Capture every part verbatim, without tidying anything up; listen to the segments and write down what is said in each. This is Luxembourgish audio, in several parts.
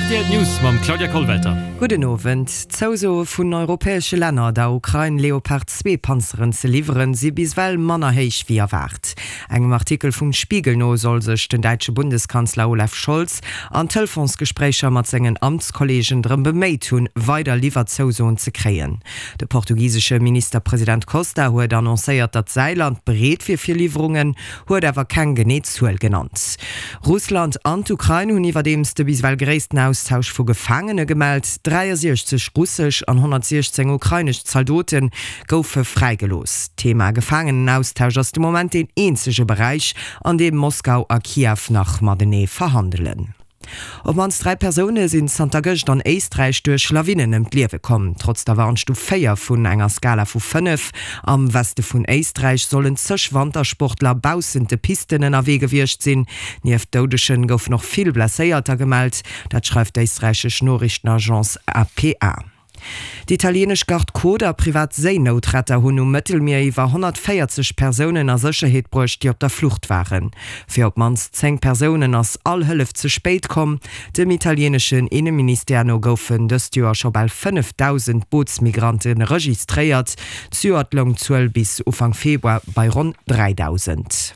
Rtl News mam Claudia Kollwelter. Gudden Owend. D'Zousoe vun europäesche Länner, der Ukrain Leopard zwee Panzeren ze liwweren, si bis ewell manner héich wéi erwaart. Engem Artikel vum Spiegel no soll sech den däitsche Bundeskanzler Olaf Scholz an Telefonsgespréicher mat sengen Amtskolleegen drëm beméit hunn, weider Liwwerzousoen ze kréien. De portugisesche Ministerpresident Costa huet annoncéiert, datt säi Land bereet wier fir Liwwerungen, huet awer keng genee Zuel genannt. Russland an d'Ukrain hunn iwwerdeems de bis ewell gréissten Austausch vu Gefaangene gemellt, dräiasiechzeg russesch an honnertsiechzéng ukrainesch Zaldote goufe fräigelooss. D'Thema Gefaangenenaustausch ass de Moment deen eenzege Beräich, an deem Moskau a Kiew nach matenee verhandelen. Op d'mannst dräi Persoune sinn zanter gëscht an Éisträich duerch Lawinen ëm d'Liewe komm. Trotz der Warnstuf véier vun enger Skala vu fënnef am Weste vun Éisträich sollen zeg Wantersportler baussent de Pisten ënnerwee gewiescht sinn. Nieft Doudegen goufen och vill Blesséierter gemellt. Dat schreift d'éisträichesch Noriichtenagence A P A. Déi italienesch Garde-Côte a privat Séinoutretter hunn um Mëttelmier iwwer honnertvéierzeg Persounen a Sécherheet bruecht, déi op der Flucht waren. Fir op d'mannst zéng Persounen ass all Hëllef ze spéit komm. Dem italieneschen Inneministère no goufen dëst Joer scho bal fënnefdausend Bootsmigrante registréiert. Zejoert loung d'Zuel bis Ufank Februar bei ronn dräidausend.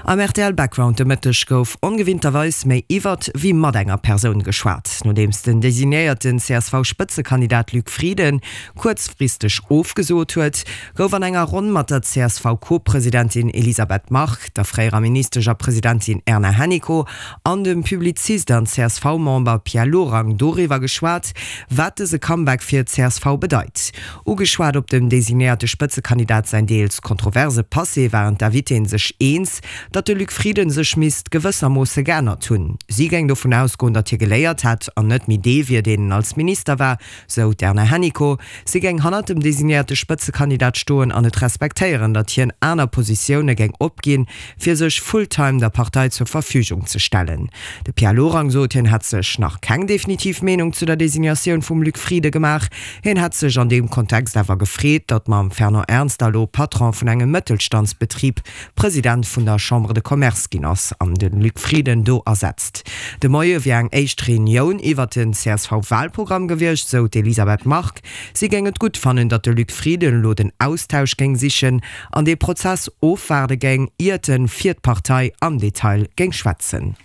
Am R T L Background de Mëtteg gouf ongewinnterweis méi iwwert wéi mat enger Persoun geschwat. Nodeems den designéierten C S V-Spëtzekandidat Luc Frieden kuerzfristeg ofgesot huet, gouf an enger Ronn mat der C S V-Co-Presidentin Elisabeth Margue, der fréierer Ministesch a Presidentin Erna Hennicot an dem Publizist an C S V-Member Pierre Lorang doriwwer geschwat, wat dëse Comeback fir d'C S V bedeit. Ugeschwat op dem designéierte Spëtzekandidat säin deels kontroverse Passé waren d'Invitéen sech eens, datt de Luc Frieden sech misst gewëssermoosse geännert hunn. Si géing dovun ausgoen, datt hie geléiert hätt an net méi dee wier, deen en als Minister war, sou d'Erna Hennicot. Si géing hannert dem designéierte Spëtzekandidat stoen an et respektéieren, datt hien aner Positioune géing opginn, fir sech full-time der Partei zur Verfügung ze stellen. De Pierre Lorang sot, hien hätt sech nach keng definitiv Meenung zu der Designatioun vum Luc Frieden gemaach. Hien hätt sech an deem Kontext awer gefreet, datt mam Fernand Ernst elo Patron vun engem Mëttelstandsbetrib President vun der Chambre de Commerce ginn ass an de Luc Frieden do ersetzt. De Moie wier eng éischt Reunioun iwwer den C S V-Walprogramm gewiescht, sou d'Elisabeth Margue. Si géing et gutt fannen, datt de Luc Frieden elo den Austausch géing sichen an dee Prozess ofwaarde géing, iert e fir d'Partei am Detail géing schwätzen.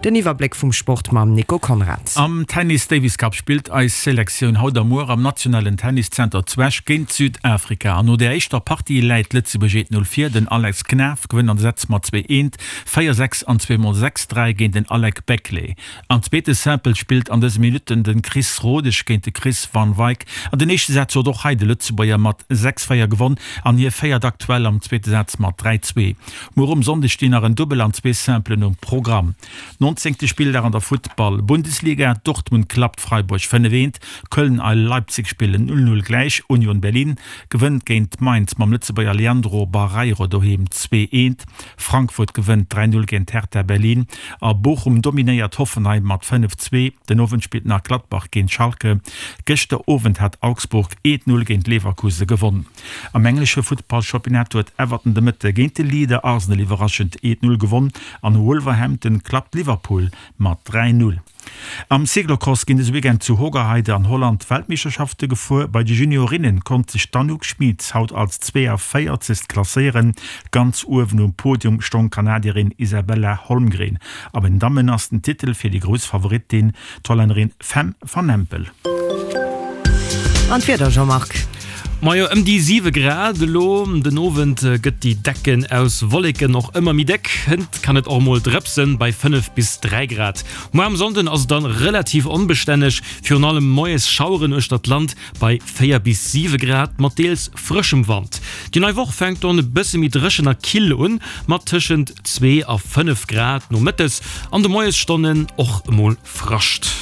Den Iwwerbléck vum Sport mam Nico Conrad. Am Tennis Davis Cup spillt eis Selektioun haut a muer am nationalen Tenniszenter zu Esch géint Südafrika. An no der éischter Partie läit Lëtzebuerg eent Null vir. Den Alex Knaff gewënnt an de Sätz mat zwee eent, véier sechs an zwee mol sechs dräi géint den Alec Beckley. Am zweete Simple spillt an dëse Minutten de Chris Rodesch géint de Chris van Wyk. An den éischte Saz huet och hei de Lëtzebuerger mat sechs véier gewonn an hie féiert aktuell am zweete Saz mat dräi zwee. Muer um Sonndeg stinn nach en Dubbel an zwee Simplen um Programm. Nonzéngte Spilldag an der Futtball Bundesliga, Dortmund klappt Freiburg fënnef eent, Köln a Leipzig spillen null null gläich, Union Berlin gewënnt géint Mainz mam Lëtzebuerger Leandro Barreiro doheem zwee eent, Frankfurt gewënnt dräi null géint Hertha Berlin a Bochum dominéiert Hoffenheim mat fënnef zwee. Den Owend spillt nach Gladbach géint Schalke. Gëschter Owend hat Augsburg eent null géint Leverkusen gewonn. Am englesche Futtballchampionnat huet Everton de Mëtte géint de Leader Arsenal iwwerraschend eent null gewonn an Wolverhampton klappt Liverpool mat dräi null. Am Cyclocross ginn dëse Weekend zu Hoogerheide an Holland d'Weltmeeschterschafte gefuer. Bei de Juniorinne konnt sech d'Anouk Schmitz haut als zweeavéierzegst klasséieren. Ganz uewen um Podium stoung d'Kanadierin Isabella Holmgren. A bei den Dammen ass den Titel fir déi grouss Favoritin, d'Hollännerin Fem van Empel. An d'Wieder, Jean-Marc? Majo, ëm déi siwe Grad elo. Den Owend gëtt déi Decken aus Wolleken och ëmmer méi déck, hënt kann et och mol drëpsen bei fënnef bis dräi Grad. Muer am Sonnden ass et dann relativ onbestänneg, virun allem moies Schaueren uechter d'Land bei véier bis siwe Grad mat deels frëschem Wand. Déi nei Woch fänkt dann e bësse méi dréchen a kill un, mat tëschent zwee a fënnef Grad nomëttes, an de Moiesstonnen och emol Frascht.